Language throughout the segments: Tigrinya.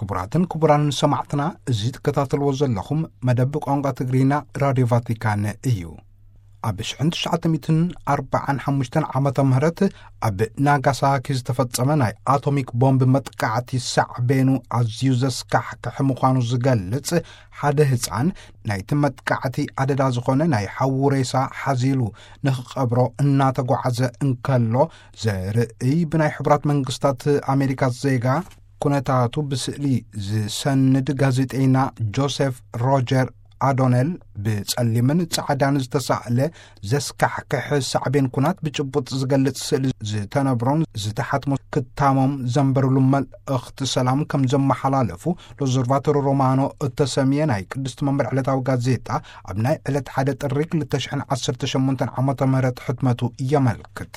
ክቡራትን ክቡራንን ሰማዕትና፣ እዚ ትከታተልዎ ዘለኹም መደብ ቋንቋ ትግርኛ ራድዮ ቫቲካን እዩ። ኣብ ሽሕን ትሽዓተ ሚእትን ኣርባዓን ሓሙሽተን ዓመተ ምህረት ኣብ ናጋሳኪ ዝተፈጸመ ናይ ኣቶሚክ ቦምብ መጥቃዕቲ ሳዕቤኑ ኣዝዩ ዘስካሕክሕ ምዃኑ ዝገልጽ ሓደ ህጻን፣ ናይቲ መጥቃዕቲ ኣደዳ ዝኾነ ናይ ሓዉ ሬሳ ሓዚሉ ንኽቐብሮ እናተጓዓዘ እንከሎ ዘርእይ ብናይ ሕቡራት መንግስታት ኣሜሪካ ዜጋ ኩነታቱ ብስእሊ ዝሰንድ ጋዜጠይና ጆሴፍ ሮጀር ኣዶነል ብጸሊምን ጻዕዳን ዝተሳእለ ዘስካሕክሕ ሳዕቤን ኩናት ብጭቡጥ ዝገልጽ ስእሊ ዝተነብሮን ዝተሓትሞ ክታሞም ዘንበርሉ መልእኽቲ ሰላም ከም ዘመሓላለፉ ሎዘርቫቶሮ ሮማኖ እተሰምየ ናይ ቅድስቲ መንበር ዕለታዊ ጋዜጣ ኣብ ናይ ዕለት ሓደ ጥሪ ክልተ ሽሕን ዓሰርተ ሸሞንተን ዓመተ ምህረት ሕትመቱ የመልክት።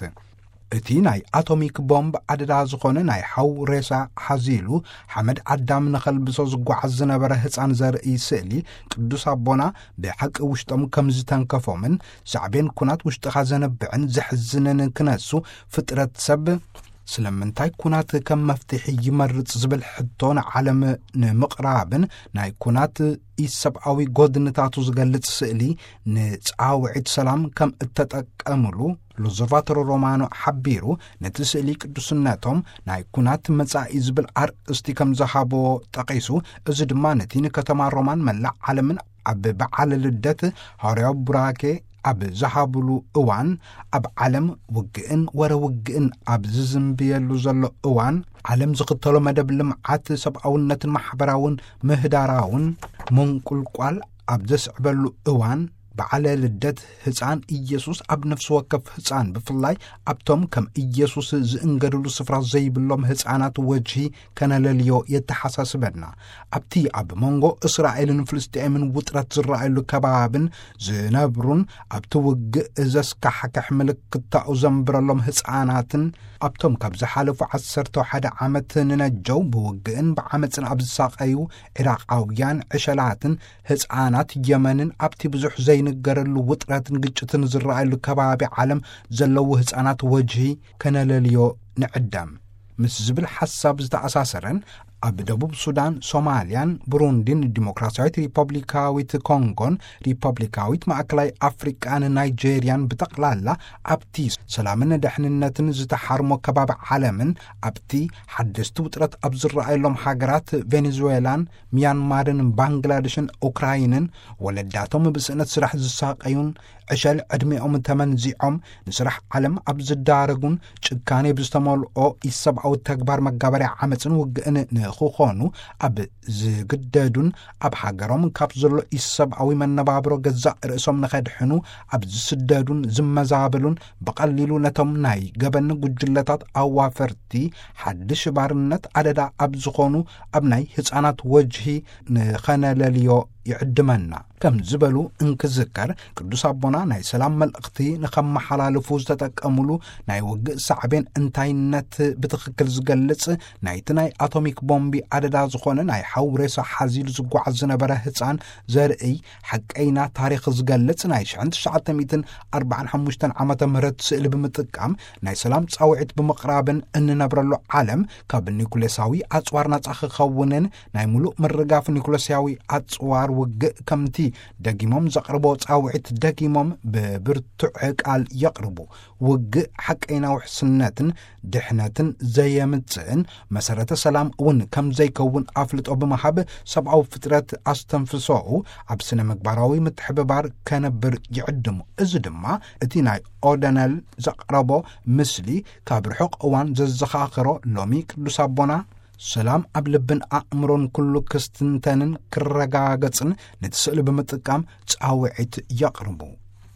እቲ ናይ ኣቶሚክ ቦምብ ኣደዳ ዝኾነ ናይ ሓው ሬሳ ሓዚሉ ሓመድ ኣዳም ንኸልብሶ ዝጓዓዝ ዝነበረ ህፃን ዘርኢ ስእሊ ቅዱስ ኣቦና ብሓቂ ውሽጦም ከም ዝተንከፎምን ሳዕቤን ኩናት ውሽጥኻ ዘነብዕን ዘሕዝንን ክነሱ ፍጥረት ሰብ ስለምንታይ ኩናት ከም መፍትሒ ይመርጽ ዝብል ሕቶ ንዓለም ንምቕራብን ናይ ኩናት ኢሰብኣዊ ጎድንታቱ ዝገልጽ ስእሊ ንጻውዒት ሰላም ከም እተጠቀምሉ ሎዘርቫቶሮ ሮማኖ ሓቢሩ፣ ነቲ ስእሊ ቅዱስነቶም ናይ ኩናት መጻኢ ዝብል ኣርእስቲ ከም ዝሃብዎ ጠቒሱ፣ እዚ ድማ ነቲ ንከተማ ሮማን መላእ ዓለምን ኣብ በዓለ ልደት ሃዋርያዊ ቡራኬ ኣብ ዝሃብሉ እዋን፣ ኣብ ዓለም ውግእን ወረ ውግእን ኣብ ዝዝንብየሉ ዘሎ እዋን፣ ዓለም ዝኽተሎ መደብ ልምዓት ሰብኣውነትን ማሕበራውን ምህዳራውን ምንቁልቋል ኣብ ዘስዕበሉ እዋን፣ በዓለ ልደት ህፃን ኢየሱስ ኣብ ነፍሲ ወከፍ ህፃን፣ ብፍላይ ኣብቶም ከም ኢየሱስ ዝእንገድሉ ስፍራ ዘይብሎም ህፃናት ወጅሂ ከነለልዮ የተሓሳስበና። ኣብቲ ኣብ መንጎ እስራኤልን ፍልስጤምን ውጥረት ዝረኣየሉ ከባብን ዝነብሩን፣ ኣብቲ ውግእ ዘስካሕክሕ ምልክታኡ ዘንብረሎም ህፃናትን፣ ኣብቶም ካብ ዝሓለፉ ዓሰርተ ሓደ ዓመት ንነጀው ብውግእን ብዓመፅን ኣብ ዝሳቐዩ ዒራቓውያን ዕሸላትን ህፃናት የመንን፣ ኣብቲ ብዙሕ ዘይንገረሉ ውጥረትን ግጭትን ዝረኣየሉ ከባቢ ዓለም ዘለዉ ህፃናት ወጅሂ ከነለልዮ ንዕደም። ምስ ዝብል ሓሳብ ዝተኣሳሰረን፣ ኣብ ደቡብ ሱዳን፣ ሶማልያን፣ ብሩንዲን፣ ዲሞክራሲያዊት ሪፐብሊካዊት ኮንጎን፣ ሪፐብሊካዊት ማእከላይ ኣፍሪቃን ናይጄርያን ብጠቕላላ ኣብቲ ሰላምን ደሕንነትን ዝተሓርሞ ከባቢ ዓለምን፣ ኣብቲ ሓደስቲ ውጥረት ኣብ ዝረኣየሎም ሃገራት ቬኔዙዌላን፣ ሚያንማርን፣ ባንግላደሽን፣ ኡክራይንን፣ ወለዳቶም ብስእነት ስራሕ ዝሳቀዩን፣ ዕሸል ዕድሜኦም ተመንዚዖም ንስራሕ ዓለም ኣብ ዝዳረጉን ጭካኔ ብዝተመልኦ ኢሰብኣዊ ተግባር መጋበርያ ዓመፅን ውግእን ንኽኾኑ ኣብ ዝግደዱን፣ ኣብ ሃገሮም ካብ ዘሎ ኢሰብኣዊ መነባብሮ ገዛእ ርእሶም ንኸድሕኑ ኣብ ዝስደዱን ዝመዛበሉን፣ ብቐሊሉ ነቶም ናይ ገበን ጉጅለታት ኣዋፈርቲ ሓድሽ ባርነት ኣደዳ ኣብ ዝኾኑ ኣብ ናይ ህፃናት ወጅሂ ንኸነለልዮ ይዕድመና ከም ዝበሉ እንክዝከር፣ ቅዱስ ኣቦና ናይ ሰላም መልእኽቲ ንኸመሓላልፉ ዝተጠቀሙሉ ናይ ውግእ ሳዕቤን እንታይነት ብትኽክል ዝገልጽ፣ ናይቲ ናይ ኣቶሚክ ቦምቢ ኣደዳ ዝኾነ ናይ ሓው ሬሳ ሓዚሉ ዝጓዓዝ ዝነበረ ህፃን ዘርእይ ሓቀይና ታሪኽ ዝገልጽ ናይ ሽሕን ትሽዓተ ሚእትን ኣርባዓን ሓሙሽተን ዓመተ ምህረት ስእሊ ብምጥቃም፣ ናይ ሰላም ጻውዒት ብምቕራብን፣ እንነብረሉ ዓለም ካብ ኒኩሌሳዊ ኣጽዋር ናጻ ክኸውንን ናይ ምሉእ ምርጋፍ ኒኩለስያዊ ኣጽዋር ውግእ ከምቲ ደጊሞም ዘቕርቦ ጻውዒት ደጊሞም ብብርቱዕ ቃል የቕርቡ። ውግእ ሓቀይና ውሕስነትን ድሕነትን ዘየምጽእን መሰረተ ሰላም እውን ከም ዘይከውን ኣፍልጦ ብምሃብ፣ ሰብኣዊ ፍጥረት ኣስተንፍሶኡ ኣብ ስነ ምግባራዊ ምትሕብባር ከነብር ይዕድሙ። እዚ ድማ እቲ ናይ ኦደነል ዘቕረቦ ምስሊ ካብ ርሑቕ እዋን ዘዘኻኽሮ፣ ሎሚ ቅዱስ ኣቦና ሰላም ኣብ ልብን ኣእምሮን ኩሉ ክስትንተንን ክረጋገጽን ነቲ ስእሊ ብምጥቃም ጻውዒት የቕርቡ።